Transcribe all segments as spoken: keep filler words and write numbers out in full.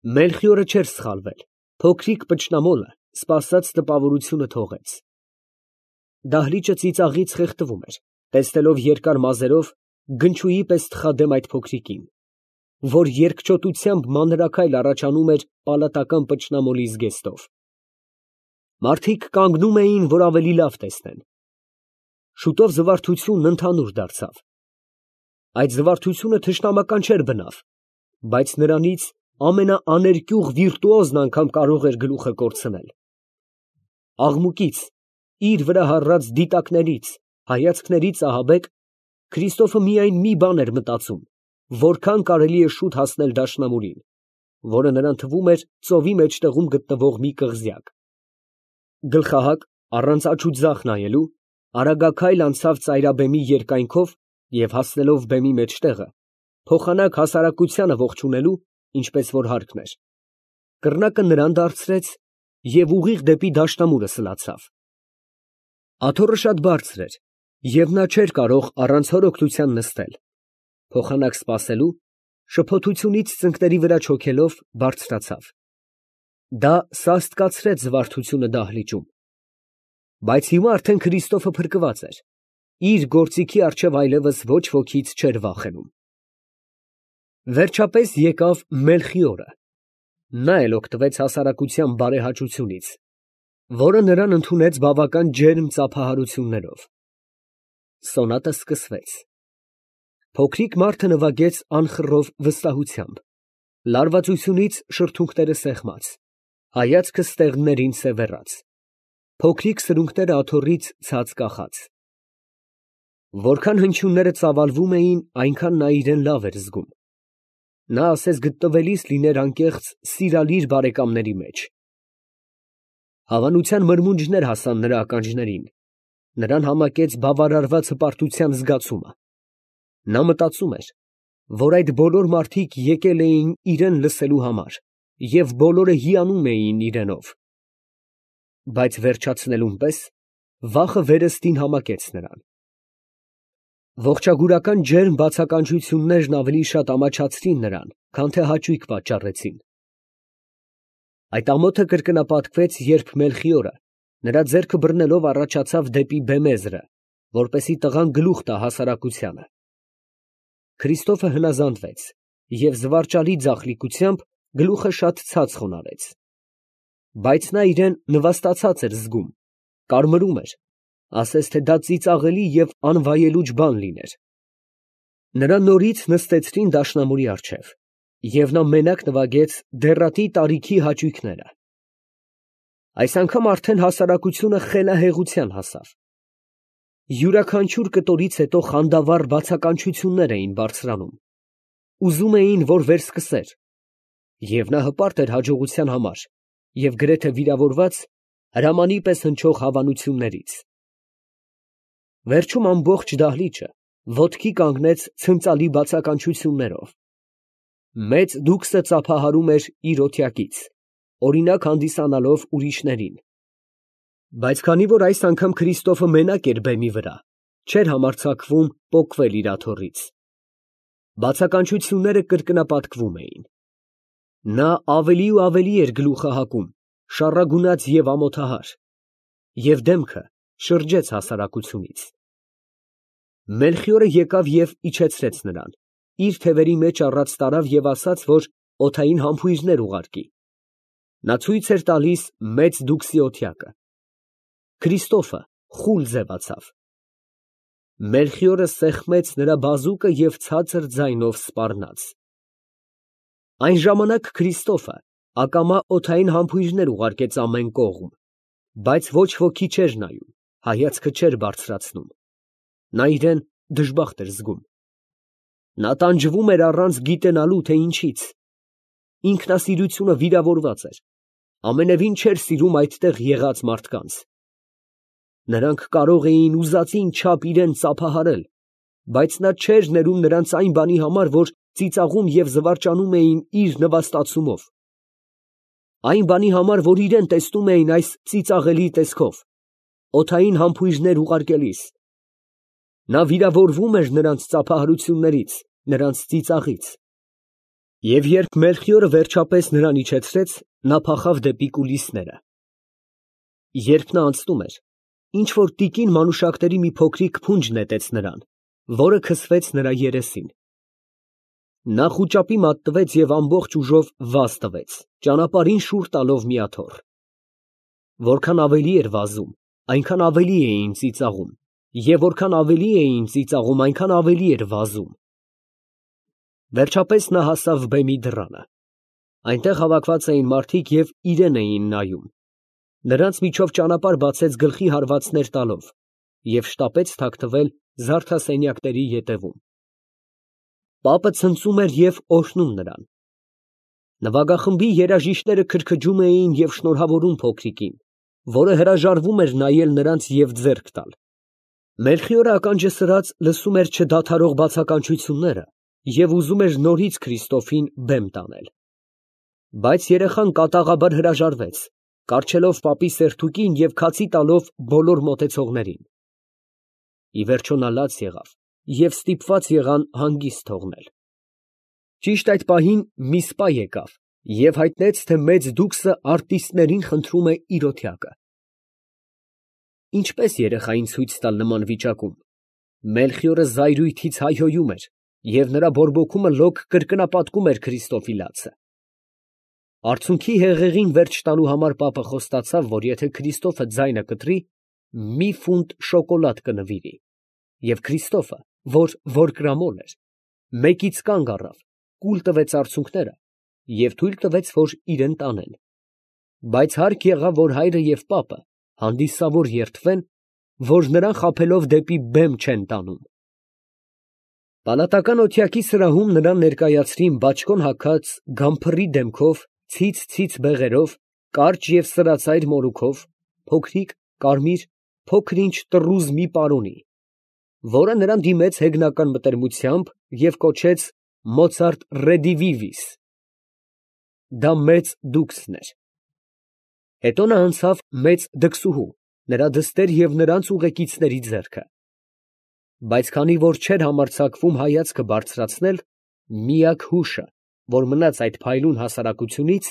Մելխիորը չէր սխալվել, փոքրիկ պճնամոլը սպասած տպավորությունը թողեց։ Դահլիճը ծիծաղից խեղդվում էր, տեսնելով երկար մազերով գնչուի պես թխադեմ այդ փոքրիկին, որ երկչոտությամբ մանրաքայլ առաջանում էր պալատական պճնամոլի զգեստով։ Մարդիկ կանգնում էին, որ ավելի լավ տեսնեն։ Շուտով զվարթությունն ընդհանուր դարձավ։ Այդ զվարթությունը թշնամական չէր բնավ, բայց նրանից ամենաաներկյուղ վիրտուոզն անգամ կարող էր գլուխը կորցնել։ Աղմուկից, իր վրա հառած դիտակներից, հայացքներից ահաբեկ Քրիստոֆը միայն մի բան էր մտածում, որքան կարելի է շուտ հասնել դաշնամուրին, որը նրան թվում էր ծովի մեջտեղում գտնվող մի կղզյակ։ Գլխահակ, առանց աջ ու ձախ նայելու, արագաքայլ անցավ ծայրաբեմի երկայնքով և հասնելով բեմի մեջտեղը, փոխանակ հասարակությանը ողջունելու, ինչպես որ հարկն էր, կռնակը նրան դարձրեց և ուղիղ դեպի դաշնամուրը սլացավ։ Աթոռը շատ բարձր էր, և նա չէր կարող առանց հոր օգնության նստել, փոխանակ սպասելու, շփոթությունից ծնկների վրա չոքելով, բարձրացավ։ Դա սաստկացրեց զվարթությունը դահլիճում, բայց հիմա արդեն Քրիստոֆը փրկված էր, իր գործիքի առջև այլևս ոչ ոքից չէր վախենում։ Վերջապես եկավ Մելխիորը, նա էլ օգտվեց հասարակության բարեհաճությունից, որը նրան ընդունեց բավական ջերմ ծափահարություններով։ Սոնատը սկսվեց։ Փոքրիկ մարդը նվագեց անխռով վստահությամբ, լարվածությունից շրթունքները սեղմած, հայացքը ստեղններին սևեռած, փոքրիկ սրունքները աթոռից ցած կախած։ Որքան հնչյունները ծավալվում էին, այնքան նա իրան լավ էր զգում։ Նա ասես գտնվելիս լիներ անկեղծ սիրալիր բարեկամների մեջ։ Հավանության մրմունջներ հասան նրա ականջներին, նրան համակեց բավարարված հպարտության զգացումը։ Նա մտածում էր, որ այդ բոլոր մարդիկ եկել էին իրան լսելու համար և բոլորը հիանում էին իրենով։ Բայց վերջացնելուն պես վախը վերստին համակեց նրան։ Ողջագուրական ջերմ բացականչություններն ավելի շատ ամաչացրին նրան, քան թե հաճույք պատճառեցին։ Այդ ամոթը կրկնապատկվեց, երբ Մելխիորը, նրա ձեռքը բռնելով, առաջացավ դեպի բեմեզրը, որպեսզի տղան գլուխ տա հասարակությանը։ Քրիստոֆը հնազանդվեց և զվարճալի ձախլիկությամբ գլուխը շատ ցած խոնարհեց։ Բայց նա իրան նվաստացած էր զգում, կարմրում էր, ասես թե դա ծիծաղելի և անվայելուչ բան լիներ։ Նրան նորից նստեցրին դաշնամուրի առջև, և նա մենակ նվագեց դեռատի տարիքի հաճույքները։ Այս անգամ արդեն հասարակությունը խելահեղության հասավ։ Յուրաքանչյուր կտորից հետո խանդավառ բացականչություններ էին բարձրանում, ուզում էին, որ վերսկսեր, և նա հպարտ էր հաջողության համար և գրեթե վիրավորված հրամանի պես հնչող հավանություններից։ Վերջում ամբողջ դահլիճը ոտքի կանգնեց ցնծալի բացականչություններով։ Մեծ դուքսը ծափահարում էր իր օթյակից, օրինակ հանդիսանալով ուրիշներին։ Բայց քանի որ այս անգամ Քրիստոֆը մենակ էր բեմի վրա, չէր համարձակվում պոկվել իր աթոռից։ Բացականչությունները կրկնապատկվում էին։ Նա ավելի ու ավելի էր գլուխը հակում, շառագունած և ամոթահար, և դեմքը շրջեց հասարակությունից։ Մելխիորը եկավ և իջեցրեց նրան, իր թևերի մեջ առած տարավ և ասաց, որ օդային համբույրներ ուղարկի։ Նա ցույց էր տալիս մեծ դուքսի օթյակը։ Քրիստոֆը խուլ ձևացավ։ Մելխիորը սեղմեց նրա բազուկը և ցածր ձայնով սպառնաց։ Այն ժամանակ Քրիստոֆը ակամա օդային համբույրներ ուղարկեց ամեն կողմ, բայց ոչ ոքի չէր նայում, հայացքը չէր բարձրացնում։ Նա իրան դժբախտ էր զգում։ Նա տանջվում էր առանց գիտենալու, թե ինչից։ Ինքնասիրությունը վիրավորված էր, ամենևին չէր սիրում այդտեղ եղած մարդկանց։ Նրանք կարող էին ուզածին չափ իրան ծափահարել, բայց նա չէր ներում նրանց այն բանի համար, որ ծիծաղում և զվարճանում էին իր նվաստացումով, այն բանի համար, որ իրան տեսնում էին այս ծիծաղելի տեսքով, օդային համբույրներ ուղարկելիս։ Նա վիրավորվում էր նրանց ծափահարություններից, նրանց ծիծաղից։ Եվ երբ Մելխիորը վերջապես նրան իջեցրեց, նա փախավ դեպի կուլիսները։ Երբ նա անցնում էր, ինչ որ տիկին մանուշակների մի փոքրիկ փունջ նետեց նրան, որը քսվեց նրա երեսին։ Նա խուճապի մատնվեց և ամբողջ ուժով վազ տվեց, ճանապարհին շուռ տալով մի աթոռ։ Որքան ավելի էր վազում, այնքան ավելի էին ծիծաղում, և որքան ավելի էին ծիծաղում, այնքան ավելի էր վազում։ Վերջապես նա հասավ բեմի դռանը։ Այնտեղ հավաքված էին մարդիկ և իրան էին նայում։ Նրանց միջով ճանապարհ բացեց գլխի հարվածներ տալով և շտապեց թաքնվել զարդասենյակների ետևում։ Պապը ցնծում էր և օրհնում նրան։ Նվագախմբի երաժիշտները քրքջում էին և շնորհավորում փոքրիկին, որը հրաժարվում էր նայել նրանց և ձեռք տալ։ Մելխիորը ականջը սրած լսում էր չդադարող բացականչությունները և ուզում էր նորից Քրիստոֆին բեմ տանել։ Բայց երեխան կատաղաբար հրաժարվեց, կառչելով պապի սերտուկին և քացի տալով բոլոր մոտեցողներին։ Ի վերջո նա լաց եղավ և ստիպված եղան հանգիստ թողնել։ Ճիշտ այդ պահին մի սպա եկավ և հայտնեց, թե մեծ դուքսը արտիստներին խնդրում է իր օթյակը։ Ինչպե՞ս երեխային ցույց տալ նման վիճակում։ Մելխիորը զայրույթից հայհոյում էր, և նրա բորբոքումը լոկ կրկնապատկում էր Քրիստոֆի լացը։ Արցունքի հեղեղին վերջ տալու համար պապը խոստացավ, որ եթե Քրիստոֆը ձայնը կտրի, մի ֆունտ շոկոլադ կնվիրի, և Քրիստոֆը, որ որկրամոլ էր, մեկից կանգ առավ, կուլ տվեց արցունքները և թույլ տվեց, որ իրան տանեն։ Բայց հարկ եղավ, որ հայրը և պապը հանդիսավոր երդվեն, որ նրան խաբելով դեպի բեմ չեն տանում։ Պալատական օթյակի սրահում նրան ներկայացրին բաճկոն հագած գամփռի դեմքով, ցից֊ցից բեղերով, կարճ և սրածայր մորուքով, փոքրիկ, կարմիր, փոքր֊ինչ տռուզ մի պարոնի, որը նրան դիմեց հեգնական մտերմությամբ և կոչեց Մոցարտ ռեդիվիվիս։ Դա մեծ դուքսն էր։ Հետո նա անցավ մեծ դքսուհու, նրա դստեր և նրանց ուղեկիցների ձեռքը։ Բայց քանի որ չէր համարձակվում հայացքը բարձրացնել, միակ հուշը, որ մնաց այդ փայլուն հասարակությունից,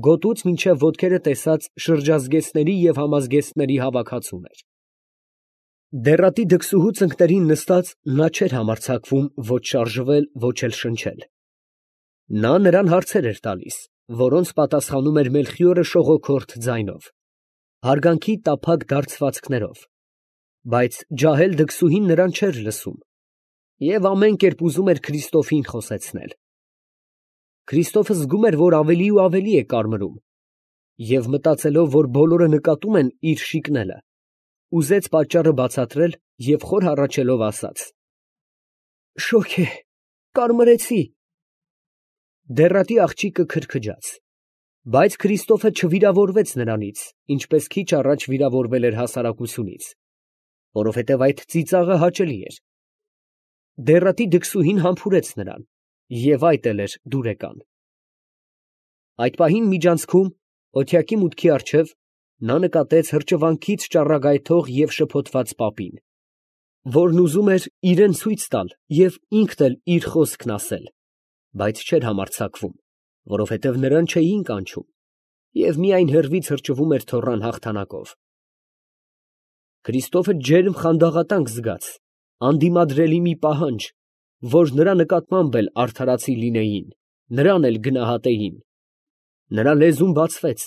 գոտուց մինչև ոտքերը տեսած շրջազգեստների և համազգեստների հավաքածուն էր։ Դեռատի դքսուհու ծնկներին նստած նա չէր համարձակվում ոչ շարժվել, ոչ էլ շնչել։ Նա նրան հարցեր էր տալիս, որոնց պատասխանում էր Մելխիորը շողոքորթ ձայնով, հարգանքի տափակ դարձվածքներով, բայց ջահել դքսուհին նրան չէր լսում և ամեն կերպ ուզում էր Քրիստոֆին խոսեցնել։ Քրիստոֆը զգում էր, որ ավելի ու ավելի է կարմրում, և մտածելով, որ բոլորը նկատում են իր շիկնելը, ուզեց պատճառը բացատրել և խոր հառաչելով ասաց. «Շոգ է, կարմրեցի»։ Դեռատի աղջիկը քրքջաց, բայց Քրիստոֆը չվիրավորվեց նրանից, ինչպես քիչ առաջ վիրավորվել էր հասարակությունից, որովհետև այդ ծիծաղը հաճելի էր։ Դեռատի դքսուհին համբուրեց նրան, և այդ էլ էր դուրեկան։ Այդ պահին միջանցքում, օթյակի մուտքի առջև, նա նկատեց հրճվանքից ճառագայթող և շփոթված պապին, որն ուզում էր իրան ցույց տալ և ինքն էլ իր խոսքն ասել, բայց չէր համարձակվում, որովհետև նրան չէին կանչում, և միայն հեռվից հրճվում էր թոռան հաղթանակով։ Քրիստոֆը ջերմ խանդաղատանք զգաց, անդիմադրելի մի պահանջ, որ նրա նկատմամբ էլ արդարացի լինեին, նրան էլ գնահատեին։ Նրա լեզուն բացվեց,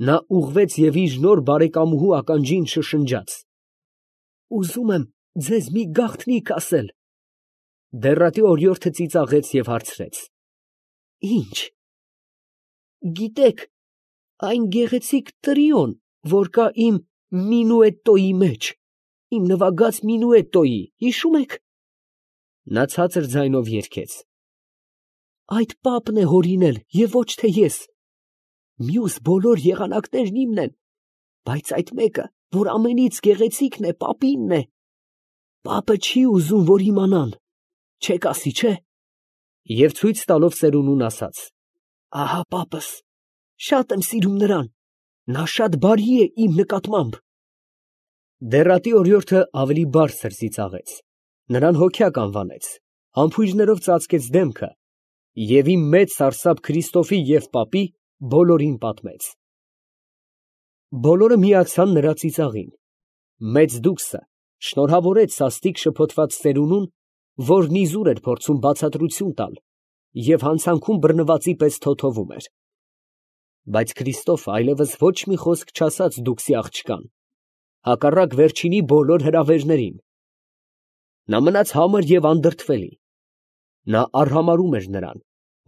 նա ուղղվեց և իր նոր բարեկամուհու ականջին շշնջաց. «Ուզում եմ ձեզ մի գաղտնիք ասել»։ Դեռատի օրիորդը ծիծաղեց և հարցրեց. «Ի՞նչ»։ «Գիտեք, այն գեղեցիկ տրիոն, որ կա իմ մինուետտոյի մեջ, իմ նվագած մինուետտոյի, հիշո՞ւմ եք»։ Նա ցածր ձայնով երգեց. «Այդ պապն է հորինել և ոչ թե ես։ Մյուս բոլոր եղանակներն իմն են, բայց այդ մեկը, որ ամենից գեղեցիկն է, պապինն է։ Պապը չի ուզում, որ իմանան, չեք ասի, չէ»։ Եվ ցույց տալով ծերունուն ասաց. «Ահա պապս, շատ եմ սիրում նրան, նա շատ բարի է իմ նկատմամբ»։ Դեռատի օրիորդը ավելի բարձր ծիծաղեց, նրան հոգյակ անվանեց, համբույրներով ծածկեց դեմքը Եվ իմ մեծ սարսափ Քրիստոֆի և պապի բոլորին պատմեց։ Բոլորը միացան նրա ծիծաղին։ Մեծ դուքսը շնորհավորեց սաստիկ շփոթված ծերունուն, որն իզուր էր փորձում բացատրություն տալ և հանցանքում բռնվածի պես թոթովում էր։ Բայց Քրիստոֆը այլևս ոչ մի խոսք չասաց դուքսի աղջկան, հակառակ վերջինի բոլոր հրավերներին։ Նա մնաց համր և անդրդվելի։ Նա արհամարհում էր նրան,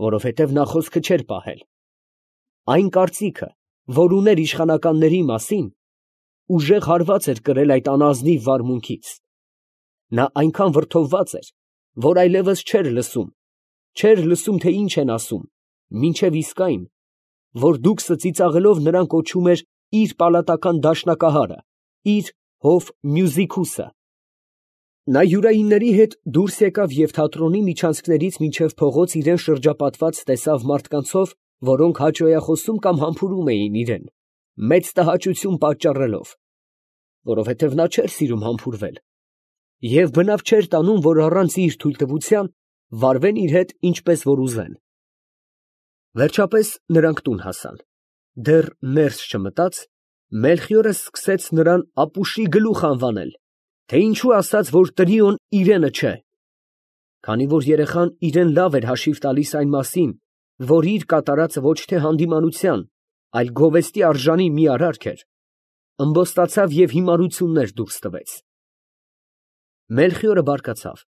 որովհետև նա խոսքը չէր պահել։ Այն կարծիքը, որ ուներ իշխանականների մասին, ուժեղ հարված էր կրել այդ անազնիվ վարմունքից։ Նա այնքան վրդովված էր, որ այլևս չէր լսում, չէր լսում, թե ինչ են ասում, մինչև իսկ այն, որ դուքսը ծիծաղելով նրան կոչում էր իր պալատական դաշնակահարը, իր հով Մյուզիկուսը։ Նա յուրայինների հետ դուրս եկավ և թատրոնի միջանցքներից մինչև փողոց իրան շրջապատված տեսավ մարդկանցով, որոնք հաճոյախոսում կամ համբուրում էին իրան, մեծ տհաճություն պատճառելով, որովհետև նա չէր սիրում համբուրվել, և բնավ չէր տանում, որ առանց իր թույլտվության վարվեն իր հետ ինչպես որ ուզեն։ Վերջապես նրանք տուն հասան։ Դեռ ներս չմտած, Մելխիորը սկսեց նրան ապուշի գլուխ անվանել, թե ինչու ասաց, որ տրիոն իրենը չէ, քանի որ երեխան իրան լավ էր հաշիվ տալիս այն մասին, որ իր կատարածը ոչ թե հանդիմանության, այլ գովեստի արժանի մի արարք էր, ըմբոստացավ և հիմարություններ դուրս տվեց։ Մելխիորը բարկացավ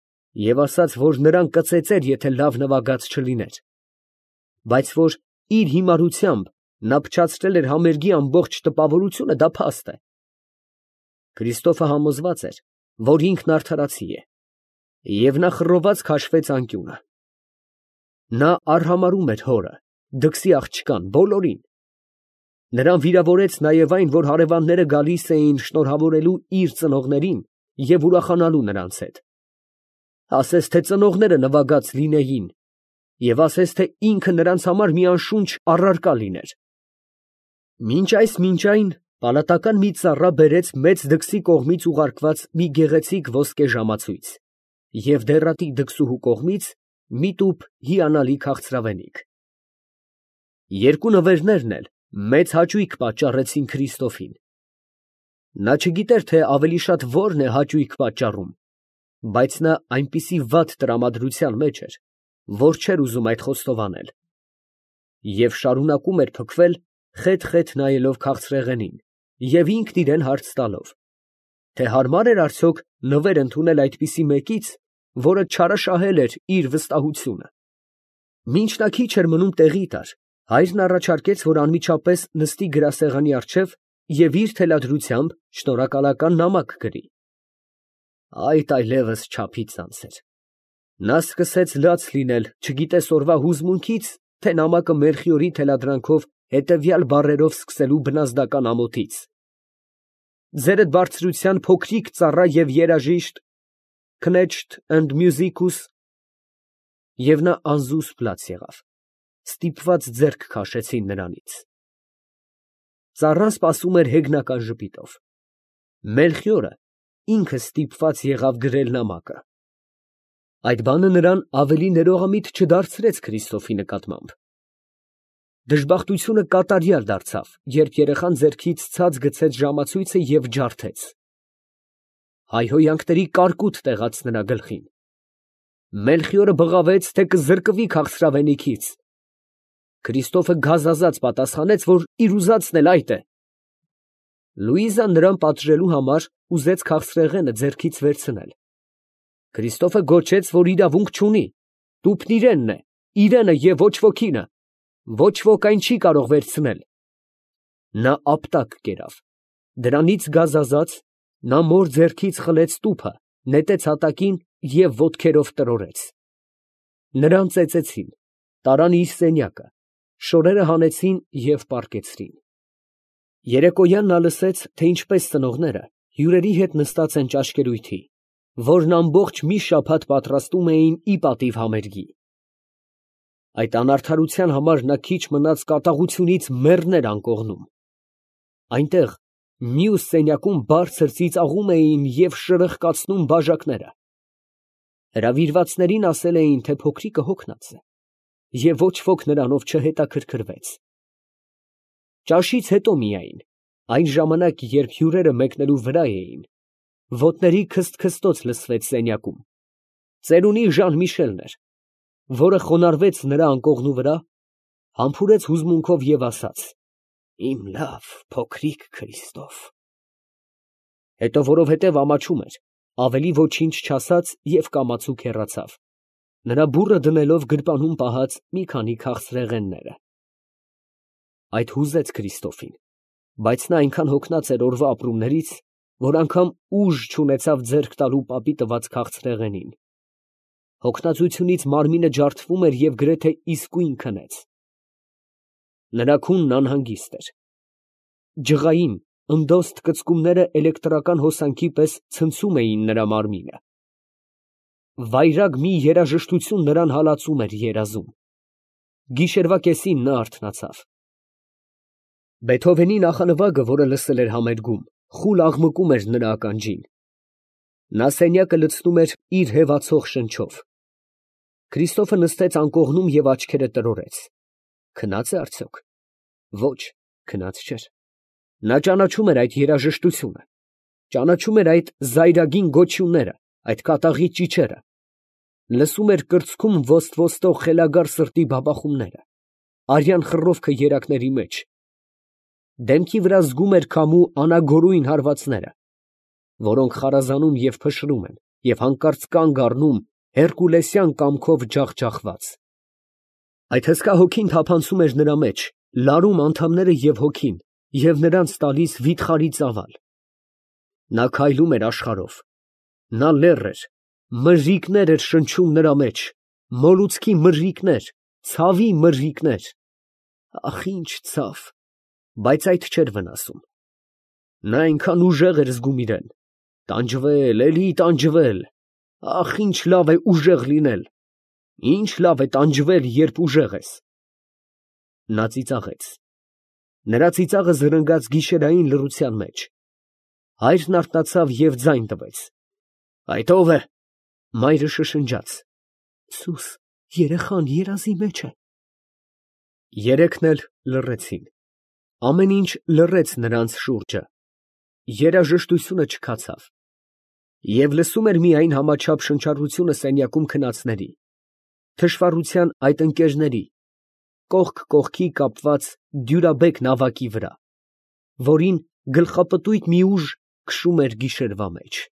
և ասաց, որ նրան կծեծեր, եթե լավ նվագած չլիներ, բայց որ իր հիմարությամբ նա փչացրել էր համերգի ամբողջ տպավորությունը, դա փաստ է։ Քրիստոֆը համոզված էր, որ ինքն արդարացի է, և նա խռոված քաշվեց անկյունը։ Նա արհամարհում էր հորը, դքսի աղջկան, բոլորին։ Նրան վիրավորեց նաև այն, որ հարևանները գալիս էին շնորհավորելու իր ծնողներին և ուրախանալու նրանց հետ։ Ասես թե ծնողները նվագած լինեին, և ասես թե ինքը նրանց համար մի անշունչ առարկա լիներ։ Մինչ այս մինչ այն պալատական մի ծառա բերեց մեծ դքսի կողմից ուղարկված մի գեղեցիկ ոսկե ժամացույց և դեռատի դքսուհու կողմից մի տուփ հիանալի քաղցրավենիք։ Երկու նվերներն էլ մեծ հաճույք պատճառեցին Քրիստոֆին։ Նա չգիտեր, թե ավելի շատ որն է հաճույք պատճառում, բայց նա այնպիսի վատ տրամադրության մեջ էր, որ չէր ուզում այդ խոստովանել, և շարունակում էր փքվել, խետ֊խետ նայելով քաղցրեղենին և ինքն իրան հարց տալով, թե հարմար էր արդյոք նվեր ընդունել այդպիսի մեկից, որը չարաշահել էր իր վստահությունը։ Մինչ նա քիչ էր մնում տեղի տար, հայրն առաջարկեց, որ անմիջապես նստի գրասեղանի առջև և իր թելադրությամբ շնորհակալական նամակ գրի։ Այդ այլևս չափից անց էր։ Նա սկսեց լաց լինել, չգիտես օրվա հուզմունքից, թե նամակը Մելխիորի թելադրանքով հետևյալ բառերով սկսելու բնազդական ամոթից. «Ձերդ բարձրության փոքրիկ ծառա և երաժիշտ Knecht and Musicus», և նա անզուսպ լաց եղավ, ստիպված ձեռք քաշեցին նրանից։ Ծառան սպասում էր հեգնական ժպիտով։ Մելխիորը ինքը ստիպված եղավ գրել նամակը։ Այդ բանը նրան ավելի ներողամիտ չդարձրեց Քրիստոֆի նկատմամբ։ Դժբախտությունը կատարյալ դարձավ, երբ երեխան ձեռքից ցած գցեց ժամացույցը և ջարդեց։ Հայհոյանքների կարկուտ տեղաց նրա գլխին։ Մելխիորը բղավեց, թե կզրկվի քաղցրավենիքից։ Քրիստոֆը գազազած պատասխանեց, որ իր ուզածն էլ այդ է։ Լուիզան նրան պատժելու համար ուզեց քաղցրեղենը ձեռքից վերցնել։ Քրիստոֆը գոչեց, որ իրավունք չունի, տուփն իրենն է, իրենը և ոչ wokինը, ոչ ոք այն չի կարող վերցնել։ Նա ապտակ կերավ։ Դրանից գազազած, նա մոր ձեռքից խլեց տուփը, նետեց հատակին և ոտքերով տրորեց։ Նրան ծեծեցին, տարան իր սենյակը, շորերը հանեցին և պառկեցրին։ Երեկոյան նա լսեց, թե ինչպես ծնողները հյուրերի հետ նստած են ճաշկերույթի, որն ամբողջ մի շաբաթ պատրաստում էին ի պատիվ համերգի։ Այդ անարդարության համար նա քիչ մնաց կատաղությունից մեռներ անկողնում։ Այնտեղ մյուս սենյակում բարձր ծիծաղում էին և շրխկացնում բաժակները։ Հրավիրվածներին ասել էին, թե փոքրիկը հոգնած է։ և ոչ ոք նրանով չհետաքրքրվեց։ Ճաշից հետո միայն, այն ժամանակ, երբ հյուրերը մեկնելու վրա էին, ոտների քսթքստոց լսվեց սենյակում, ծերունի Ժան֊Միշելն էր, որը խոնարհվեց նրա անկողնու վրա, համբուրեց հուզմունքով և ասաց. «Իմ լավ փոքրիկ Քրիստոֆ»։ Հետո որովհետև ամաչում էր, ավելի ոչինչ չասաց և կամացուկ հեռացավ, նրա բուռը դնելով գրպանում պահած մի քանի քաղցրեղենները։ Այդ հուզեց Քրիստոֆին, բայց նա այնքան հոգնած էր օրվա ապրումներից, որ անգամ ուժ չունեցավ ձեռք տալու պապի տված քաղցրեղենին։ Հոգնածությունից մարմինը ջարդվում էր և գրեթե իսկույն քնեց։ Նրա քունն անհանգիստ էր։ Ջղային, ընդոստ կծկումները էլեկտրական հոսանքի պես ցնցում էին նրա մարմինը։ Վայրագ մի երաժշտություն նրան հալածում էր երազում։ Գիշերվա կեսին նա արթնացավ։ Բեթհովենի նախանվագը, որը լսել էր համերգում, խուլ աղմկում էր նրա ականջին։ Նա սենյակը լցնում էր իր հևացող շնչով։ Քրիստոֆը նստեց անկողնում և աչքերը տրորեց։ Քնա՞ծ է արդյոք։ Ոչ, քնած չէր։ Նա ճանաչում էր այդ երաժշտությունը, ճանաչում էր այդ զայրագին գոչյունները, այդ կատաղի ճիչերը, լսում էր կրծքում ոստ֊ոստող խելագար սրտի բաբախումները, արյան խռովքը երակների մեջ, դեմքի վրա զգում էր քամու անագորույն հարվածները, որոնք խարազանում և փշրում են և հանկարծ կանգ առնում հերկուլեսյան կամքով ջախջախված։ Այդ հսկա հոգին թափանցում էր նրա մեջ, լարում անդամները և հոգին և նրանց տալիս վիթխարի ծավալ։ Նա քայլում էր աշխարհով, նա լեռ էր, մրրիկներ էր շնչում նրա մեջ, մոլուցքի մրրիկներ, ցավի մրրիկներ։ Ախ, ինչ ցավ, բայց այդ չէր վնասում։ Նա այնքան ուժեղ էր զգում իրան, տանջվել, էլի տանջվել, ախ, ինչ լավ է ուժեղ լինել, ինչ լավ է տանջվել, երբ ուժեղ ես։ Նա ծիծաղեց։ Նրա ծիծաղը զրնգաց գիշերային լռության մեջ։ Հայրն արթնացավ և ձայն տվեց։ «Այդ ո՞վ է»։ Մայրը շշնջաց. «Սուս, երեխան երազի մեջ է»։ Երեքն էլ լռեցին։ Ամեն ինչ լռեց նրանց շուրջը։ Երաժշտությունը չքացավ։ Եվ լսում էր միայն համաչափ շնչառությունը սենյակում քնածների, թշվառության այդ ընկերների, կողք կողքի կապված դյուրաբեկ նավակի վրա, որին գլխապտույտ մի ուժ քշում էր գիշերվա մեջ։